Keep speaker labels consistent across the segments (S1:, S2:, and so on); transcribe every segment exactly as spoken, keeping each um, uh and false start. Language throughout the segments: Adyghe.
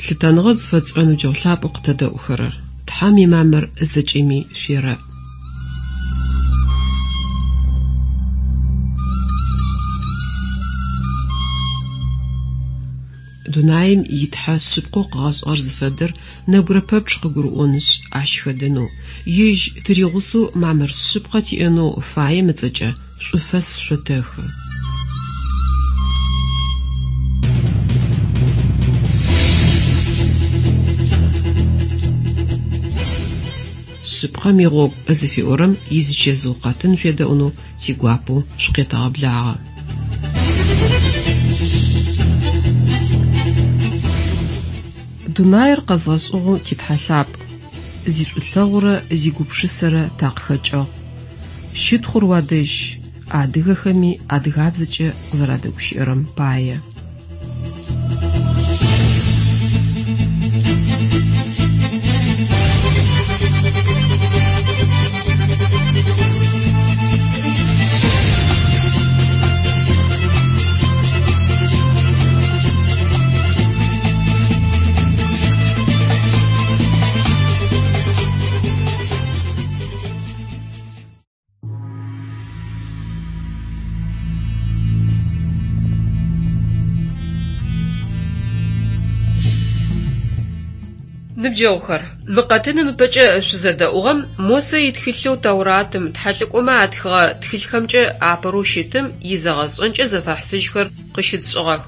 S1: Лъытэныгъэ зыфэтшӏырэ ныбджэгъу лъапӏэу къытэдэӏухэрэр, Тхьэм имамыр зэкӏэми шъуерэӏ. Дунаим итхьэ шъыпкъэу къыгъэшӏыгъэр зыфэдэр нэбгырэ пэпчъ къыгурыӏонышъ, ащ хэдэнэу, ежь тыригъусэу мамыр шъыпкъэ тиӏэнэу фаем ыцӏэкӏэ шӏуфэс шъотэхы. Шъыпкъэм игъогу зыфиӏорэм изычэзыу къэтын шъуедэӏунэу тигуапэу шъукъетэгъэблагъэ. Дунаир къэзгъэшӏыгъэу титхьэ лъапӏ, зишӏулъэгъурэ зигупшысэрэ такъыхэкӏыгъ. Щытхъур уадэжь, адыгэхэми адыгабзэкӏэ къызэрадэгущыӏэрэм пае. Ныбджэгъухэр, мы къэтыным ыпэкӏэ шъузэдэӏугъэм Мосэ итхылъэу Тауратым, тхьэлӏыкӏомэ атхыгъэ тхылъхэмкӏэ апэрэу щытым изэгъэшӏэнкӏэ зэфэхьысыжьхэр къыщытшӏыгъэх.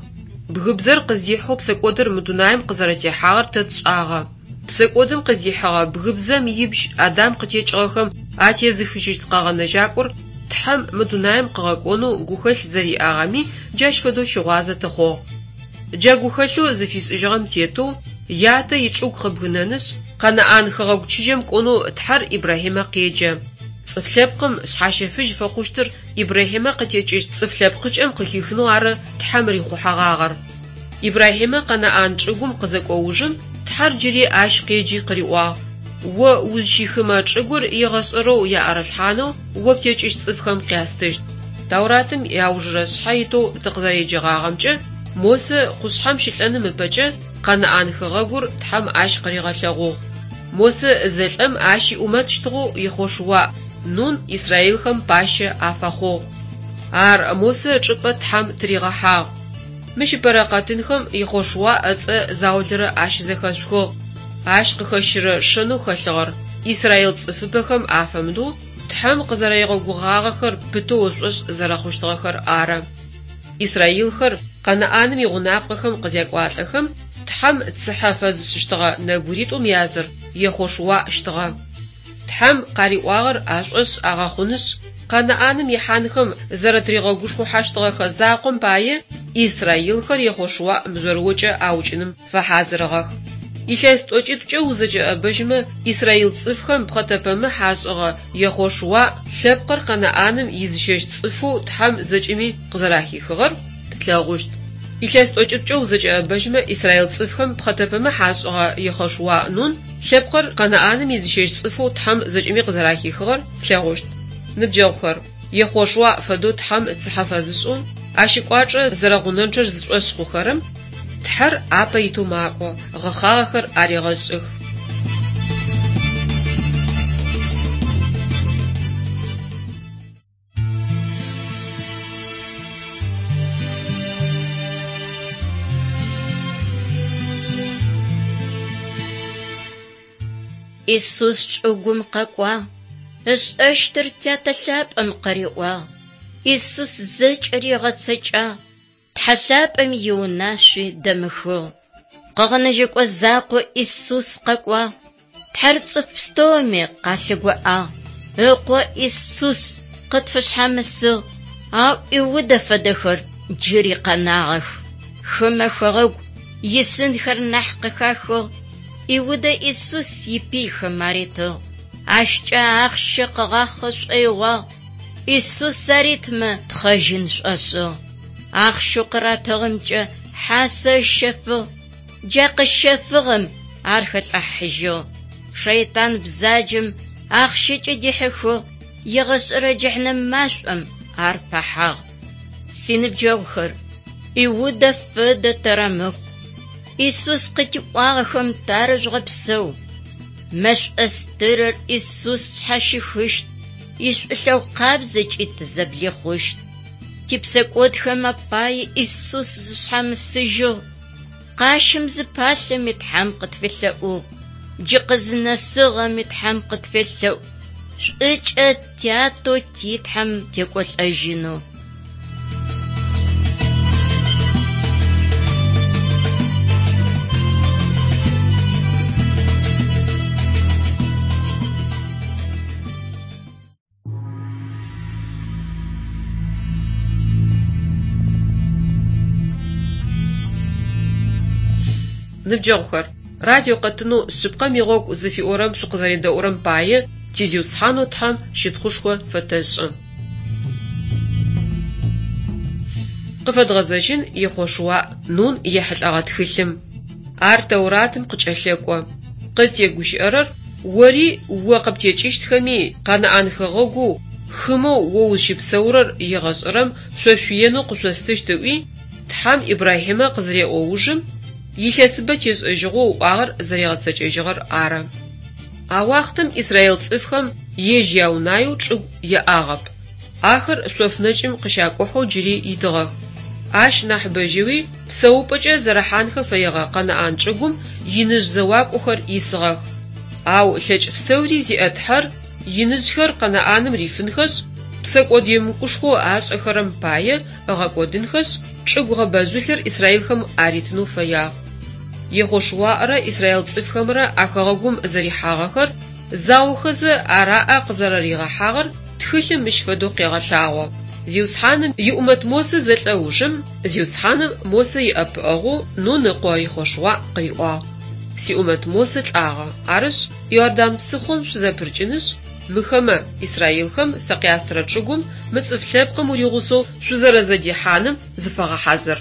S1: Бгыбзэр къыздихьэу псэкӏодыр мы дунаим къызэрэтехьагъэр тэ тшӏагъэ. Псэкӏодым къыздихьыгъэ бгыбзэм ибжь Адам къытекӏыгъэхэм атезыхыжьыщт къэгъэнэжьакӏор Тхьэм мы дунаим къыгъэкӏонэу гухэлъ зэриӏагъэми джащ фэдэу щыгъуазэ тыхъугъ. Джа гухэлъэу зыфишӏыжьыгъэм тетэу ятэ ичӏыгу къыбгынэнышъ, Къэнаӏан хэгъэгу чыжьэм кӏонэу Тхьэр Ибрахьимэ къеджэ. Цӏыф лъэпкъым шъхьащэфыжь фэхъущтыр Ибрахьимэ къытекӏыщт цӏыф лъэпкъыкӏэм къыхихынэу ары Тхьэм рихъухьэгъагъэр. Ибрахьимэ Къэнаӏан чӏыгум къызэкӏо ужым Тхьэр джыри ащ къеджи къыриӏуагъ: «О узщихымэ чӏыгур егъэшӏэрэу яӏэрылъхьанэу о птекӏыщт цӏыфхэм къястыщт». Тауратым иаужырэ шъхьэ итэу тыкъызэреджэгъагъэмкӏэ, Мосэ къушъхьэм щылӏэным ыпэкӏэ Къэнаӏан хэгъэгур Тхьэм ащ къыригъэлъэгъугъ. Мосэ зэлӏэм ащ иӏумэтщтыгъэу Ехъошуа Нун израилхэм пащэ афэхъугъ. Ар Мосэ ычӏыпӏэ Тхьэм тыригъэхьагъ. Мыщ ыпэрэ къэтынхэм Ехъошуа ыцӏэ заулэрэ ащызэхэшъухыгъ. Ащ къыхэщырэ шэнэу хэлъыгъэр израил цӏыфыбэхэм афэмыдэу Тхьэм къызэригъэгугъагъэхэр пытэу ышӏошъ зэрэхъущтыгъэхэр ары. Израилхэр Къэнаӏаным игъунапкъэхэм къызякӏуалӏэхэм Тхьэм цыхьэ фэзышӏыщтыгъэ нэбгыритӏум языр Ехъошуащтыгъэ. Тхьэм къариӏуагъэр ашӏошъ агъэхъунышъ, Къэнаӏаным ихьанхэм зэрэтыригъэгушхухьащтыгъэхэ закъом пае израилхэр Ехъошуа мыжъорыокӏэ аукӏыным фэхьазырыгъэх. Илъэс тӏокӏитӏукӏэ узэкӏэӏэбэжьмэ израил цӏыфхэм пхъэтэпэмыхь ашӏыгъэ Ехъошуа лъэпкъыр Къэнаӏаным изыщэщт цӏыфэу Тхьэм зэкӏэми къызэрахихыгъэр тлъэгъущт. Илъэс тӏокӏитӏукӏэ узэкӏэӏэбэжьмэ израил цӏыфхэм пхъэтэпэмыхь ашӏыгъэ Ехъошуа Нун лъэпкъыр Къэнаӏаным изыщэщт цӏыфэу Тхьэм зэкӏэми къызэрахихыгъэр тлъэгъущт. Ныбджэгъухэр, Ехъошуа фэдэу Тхьэм цыхьэ фэзышӏэу, ащ ыкӏуачӏэ зэрэгъунэнчъэр зышӏошъ хъухэрэм Тхьэр апэ итэу макӏо, гъэхъагъэхэр арегъэшӏых.
S2: Иисус чӏыгум къэкӏуагъ, ышӏэщтыр Тятэ лъапӏэм къыриӏуагъ. Иисус зэкӏэри ыгъэцэкӏагъ, Тхьэ лъапӏэм иунашъуи дэмыхыгъ. Къэгъэнэжьэкӏо закъо Иисус къэкӏуагъ, Тхьэр цӏыф пстэуми къалъыгоӏагъ. Ыкъо Иисус къытфышъхьамысыгъ, ау Иудэ фэдэхэр джыри къэнагъэх. Хымэ хэгъэгу исынхэр нахь къыхахыгъ. Иудэ Иисус ипыйхэм аритыгъ. Ащкӏэ ахъщэ къыгъахъэ шӏоигъуагъ. Иисус аритмэ тхъэжьын шӏошӏыгъ. Ахъщэу къыратыгъэмкӏэ хьасэ ыщэфыгъ. Джа къыщэфыгъэм ар хэлӏыхьыжьыгъ. Шэйтан бзаджэм ахъщэкӏэ дихьыхыгъ, егъэшӏэрэ джыхьнэм машӏом ар пэхьагъ. Синыбджэгъухэр, Иудэ фэдэ тэрэмыхъу. Исус къытиӏуагъэхэм тарыжъугъэпсэу. Мэшӏо стырыр Исус тшъхьащихыщт, ишӏулъэгъу къабзэкӏи тызэблихъущт. Типсэкӏодхэм апае Исус зышъхьамысыжьыгъ. Къащым зыпалъэми Тхьэм къытфелъэӏугъ. Джы къызынэсыгъэми Тхьэм къытфелъэӏу. Шӏукӏэ тятэу ти Тхьэм текӏолӏэжьынэу.
S1: Ныбджэгъухэр, радио къэтынэу «Шъыпкъэм игъогу» зыфиӏорэм шъукъызэредэӏурэм пае ти Зиусхьанэу Тхьэм щытхъушхо фэтэшӏы. Къыфэдгъэзэжьын Ехъошуа Нун ехьылӏэгъэ тхылъым. Ар Тэуратым къыкӏэлъэкӏо. Къызтегущыӏэрэр ори о къыптекӏыщтхэми Къэнаӏан хэгъэгоу хымэу о узщыпсэурэр егъэшӏэрэм шъошъуиенэу къышъостыщт ыӏуи Тхьэм Ибрахьимэ къызыреӏо ужым илъэсыбэ тешӏэжьыгъэу ыӏуагъэр зэригъэцэкӏэжьыгъэр ары. А уахътэм израил цӏыфхэм ежь яунаеу чӏыгу яӏагъэп. Ахэр шъоф нэкӏым къыщакӏухьэу джыри итыгъэх. Ащ нахьыбэжьэуи псэупӏэкӏэ зэрэхьанхэ фэегъэ Къэнаӏан чӏыгум иныжъ зэуакӏохэр исыгъэх. Ау лъэкӏ пстэури зиӏэ Тхьэр иныжъхэр Къэнаӏаным рифынхэшъ, псэкӏод емыкӏушхоу ашӏэхэрэм пае ыгъэкӏодынхэшъ, чӏыгу гъэбэжъулъэр израилхэм аритынэу фэягъ. Ехъошуарэ израил цӏыфхэмрэ а хэгъэгум зэрихьагъэхэр заохэзэ ар аӏэ къызэрэригъэхьагъэр тхылъым мыщ фэдэу къегъэлъагъо. Зиусхьаным иӏумэт Мосэ зэлӏэ ужым, Зиусхьаным Мосэ иӏэпыӏэгъоу Нун ыкъо Ехъошуа къыриӏуагъ: Сиӏумэт Мосэ лӏагъэ, арышъ, Иордан псыхъом шъузэпырыкӏынышъ, мыхэмэ, израилхэм сэ къястырэ чӏыгум мы цӏыф лъэпкъым уригъусэу шъузэрэзэдихьаным зыфэгъэхьазыр.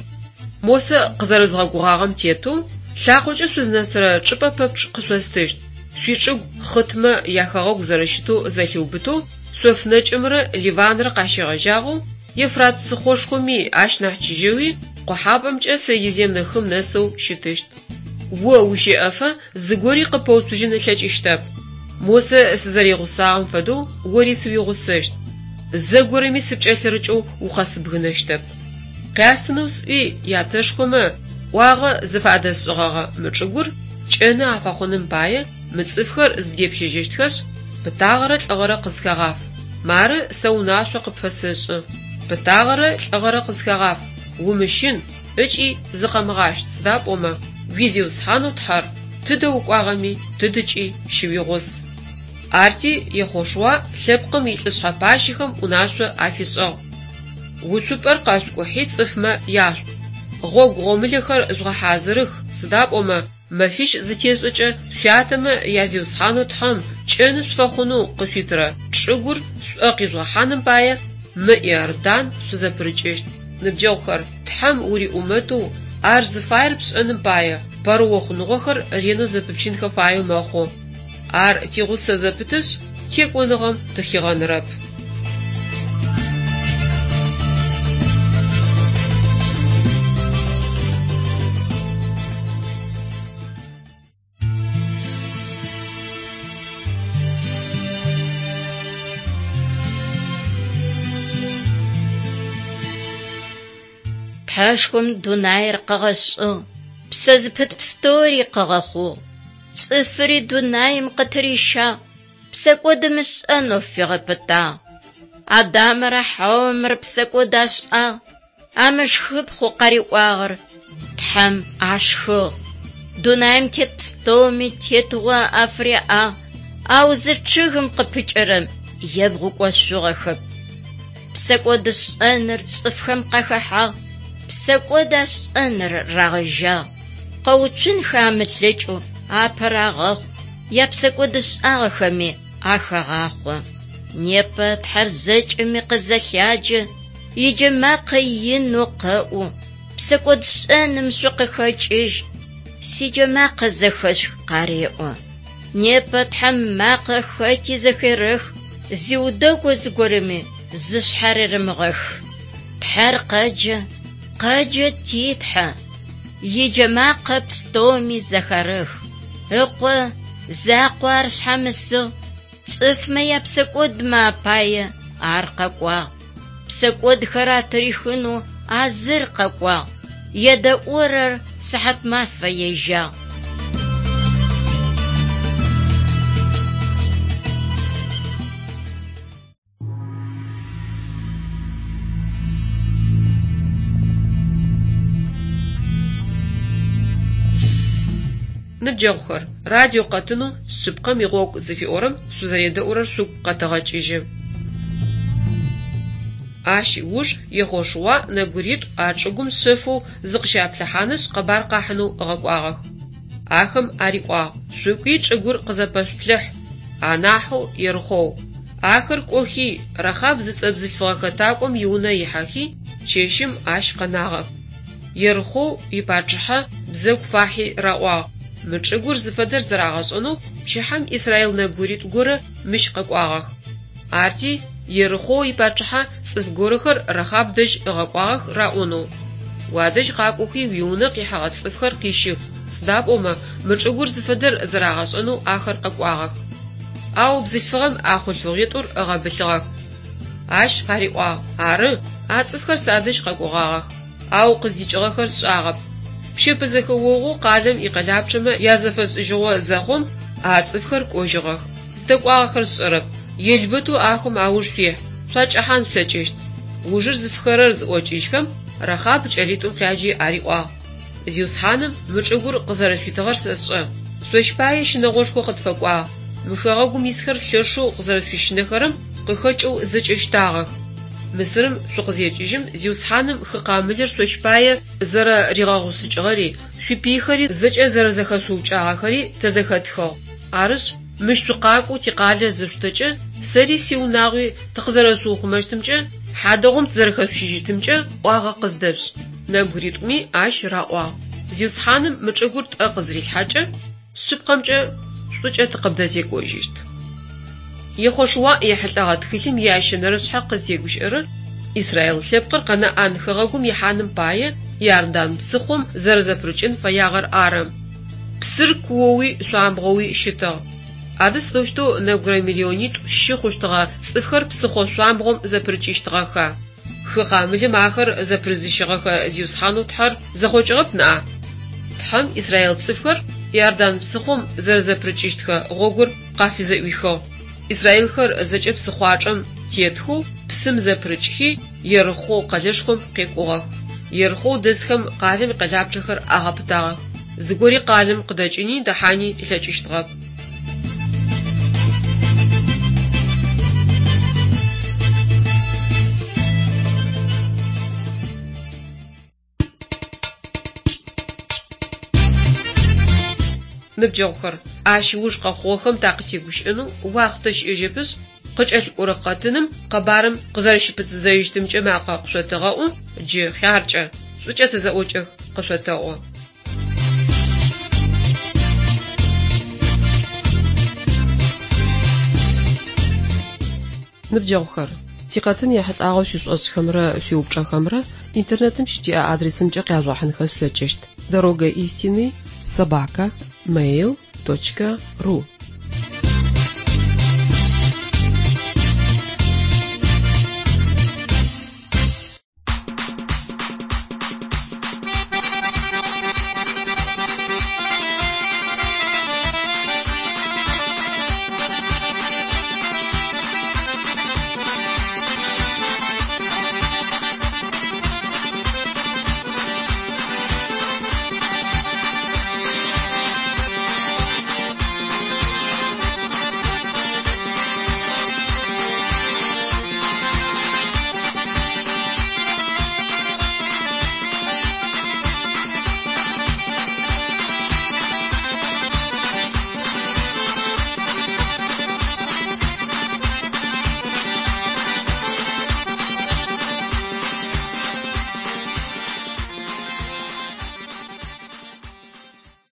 S1: Мосэ къызэрэзгъэгугъагъэм тетэу, лъакъокӏэ шъузнэсырэ чӏыпӏэ пэпчъ къышъостыщт. Шъуичӏыгу хъытмэ яхэгъэгу зэрэщытэу зэлъиубытэу, шъоф нэкӏымрэ Ливанрэ къащегъэжьагъэу, Ефрат псыхъошхоми ащ нахь чыжьэуи, къохьапӏэмкӏэ Средиземнэ хым нэсэу щытыщт. О ущэӏэфэ зыгори къыпэуцужьын ылъэкӏыщтэп. Мосэ сызэригъусагъэм фэдэу ори сыуигъусэщт. Зэгорэми сыпкӏэлъырыкӏэу укъэсыбгынэщтэп. Къястынэу сӏуи ятэшхомэ ӏуагъэ зыфадэсшӏыгъэгъэ мы чӏыгур кӏэны афэхъуным пае мы цӏыфхэр зыдепщэжьыщтхэшъ, пытагъэрэ лӏыгъэрэ къызхэгъаф. Мары сэ унашъо къыпфэсэшӏы: пытагъэрэ лӏыгъэрэ къызхэгъаф, умыщын ыкӏи зыкъэмыгъащт, сыда пӏомэ уи Зиусхьанэу Тхьэр тыдэ укӏуагъэми тыдэкӏи щыуигъус. Арти Ехъошуа лъэпкъым илӏышъхьэ пащэхэм унашъо афишӏыгъ: Уцупӏэр къэшъукӏухьи цӏыфмэ яшъуӏу. Гъогу гъомылэхэр жъугъэхьазырых, сыда пӏомэ мэфищ зытешӏэкӏэ шъуятэмэ я Зиусхьанэу Тхьэм кӏэны шъуфэхъунэу къышъуитырэ чӏыгур шъуӏэ къижъугъэхьаным пае мы Иордан шъузэпырыкӏыщт. Ныбджэгъухэр, Тхьэм уриӏумэтэу ар зыфаер пшӏэным пае пэрыохъуныгъохэр ренэу зэпыпчынхэ фаеу мэхъу. Ар тигъусэ зэпытышъ, текӏоныгъэм тыхигъэнырэп.
S2: Тхьэшхом дунаир къыгъэшӏыгъ, псэ зыпыт пстэури къыгъэхъугъ. Цӏыфыри дунаим къытырищагъ, псэкӏод ымышӏэнэу фигъэпытагъ. Адамэрэ Хьаомрэ псэкӏод ашӏагъ, амышхыпхъэу къариӏуагъэр Тхьэм ашхыгъ. Дунаим тет пстэуми тетыгъо афыряӏагъ, ау зы чъыгым къыпыкӏэрэм ебгъукӏошъугъэхэп. Псэкӏодышӏэныр цӏыфхэм къахэхьагъ, псэкӏод ашӏэныр рагъэжьагъ. Къэуцунхэ амылъэкӏэу апэ рагъэхъу, япсэкӏодышӏагъэхэми ахагъахъо. Непэ Тхьэр зэкӏэми къызэлъяджэ, иджэмакъэ инэу къэӏу, псэкӏодшӏэным шъукъыхэкӏыжь, сиджэмакъэ зэхэшъух къареӏо. Непэ Тхьэм макъэ хэти зэхерэх, зиудэгу зыгорэми зышъхьарерэмыгъэх. Тхьэр къэджэ, къэджэ ти Тхьэ. Иджэмакъэ пстэуми зэхарэх. Ыкъо закъо ар шъхьамысыгъ, цӏыфмэ япсэкӏодмэ апае ар къэкӏуагъ. Псэкӏодхэр атырихынэу а зыр къэкӏуагъ. Едэӏурэр сыхьат мафэ ежьагъ.
S1: Ныбджэгъухэр, радио къэтынэу «Шъыпкъэм игъогу» зыфиӏорэм шъузэредэӏурэр шъугу къэтэгъэкӏыжьы. Ащ ыуж Ехъошуа нэбгыритӏу а чӏыгум шъэфэу зыкъыщаплъыхьанышъ къэбар къахьынэу ыгъэкӏуагъэх. Ахэм ариӏуагъ: «Шъукӏуи чӏыгур къызэпэшъуплъыхь, анахьэу Ерыхъоу». Ахэр кӏохи, Рахаб зыцӏэ бзылъфыгъэ хэтакӏом иунэ ихьэхи, чэщым ащ къэнагъэх. Ерыхъоу ипачъыхьэ бзэгу фахьи раӏуагъ: «Мы чӏыгур зыфэдэр зэрагъэшӏэнэу пчыхьэм израил нэбгыритӏу горэ мыщ къэкӏуагъэх». Арти Ерыхъоу ипачъыхьэ цӏыф горэхэр Рахаб дэжь ыгъэкӏуагъэх раӏонэу: «Уадэжь къакӏохи уиунэ къихьэгъэ цӏыфхэр къищых, сыда пӏомэ мы чӏыгур зыфэдэр зэрагъэшӏэнэу ахэр къэкӏуагъэх». Ау бзылъфыгъэм а хъулъфыгъитӏур ыгъэбылъыгъэх. Ащ къариӏуагъ: «Ары, а цӏыфхэр садэжь къэкӏогъагъэх, ау къыздикӏыгъэхэр сшӏагъэп. Пщэпэ зэхэогъоу къалэм икъэлапчъэмэ язэфэшӏыжьыгъо зэхъум, а цӏыфхэр кӏожьыгъэх. Зыдэкӏуагъэхэр сшӏэрэп. Елбэтэу ахэм ауж шъуихь, шъуакӏэхьан шъулъэкӏыщт». Ужыр зыфыхэрэр зыӏокӏыжьхэм, Рахаб кӏэлитӏум къяджи ариӏуагъ: «Зиусхьаным мы чӏыгур къызэрэшъуитыгъэр сэшӏэ. Шъощ пае щынэгъошхо къытфэкӏуагъ. Мы хэгъэгум исхэр лъэшэу къызэрэшъущынэхэрэм къыхэкӏэу зэкӏэ щтагъэх. Мысырым шъукъызекӏыжьым Зиусхьаным хы Къамылыр шъощ пае зэрэригъэгъушъыкӏыгъэри, шъуипыйхэри зэкӏэ зэрэзэхэшъуукӏагъэхэри тэ зэхэтхыгъ. Арышъ, мыщ шъукъакӏоу тикъалэ зышъуштэкӏэ, сэри сиунагъуи тыкъызэрэшъуухъумэщтымкӏэ, хьадэгъум тызэрэхэшъущыжьыщтымкӏэ ӏуагъэ къыздэшъушӏ». Нэбгыритӏуми ащ раӏуагъ: «Зиусхьаным мы чӏыгур тӏэ къызырилъхьэкӏэ, шъыпкъэмкӏэ шӏукӏэ тыкъыбдэзекӏожьыщт». Ехъошуа ехьылӏэгъэ тхылъым иящэнэрэ шъхьэ къызтегущыӏэрэр Израил лъэпкъыр Къэнаӏан хэгъэгум ихьаным пае Иордан псыхъом зэрэзэпырыкӏын фэягъэр ары. Псыр куоуи шъуамбгъоуи щытыгъ. Адэ сыдэущтэу нэбгырэ миллионитӏу щы хъущтыгъэ цӏыфхэр псыхъо шъуамбгъом зэпырыкӏыщтыгъэха? Хы Къамылым ахэр зэпырызыщыгъэхэ Зиусхьанэу Тхьэр зэхъокӏыгъэп ныӏа? Тхьэм Израил цӏыфхэр Иордан псыхъом зэрэзэпырыкӏыщтхэ гъогур къафызэӏуихыгъ. Израилхэр зэкӏэ псыхъуачӏэм тетхэу псым зэпырыкӏхи Ерыхъоу къэлэшхом къекӏугъэх. Ерыхъоу дэсхэм къалэм икъэлапчъэхэр агъэпытагъэх. Зыгори къалэм къыдэкӏыни дэхьани ылъэкӏыщтыгъэп. Ныбджэгъухэр, ащ ыуж къэхъугъэхэм такъытегущыӏэнэу уахътэ щыӏэжьэпышъ, къыкӏэлъыкӏорэ къэтыным къэбарым къызэрэщыпытыдзэжьыщтымкӏэ макъэ къышъотэгъэӏу, джы хъяркӏэ, шӏукӏэ тызэӏокӏэх къышъотэӏо. Ныбджэгъухэр, тикъэтын ехьылӏагъэу шъуишӏошӏхэмрэ шъуиупчӏэхэмрэ интернетым щытиӏэ адресымкӏэ къяжъугъэхьынхэ шъулъэкӏыщт: дорога истины собака mail точка ру.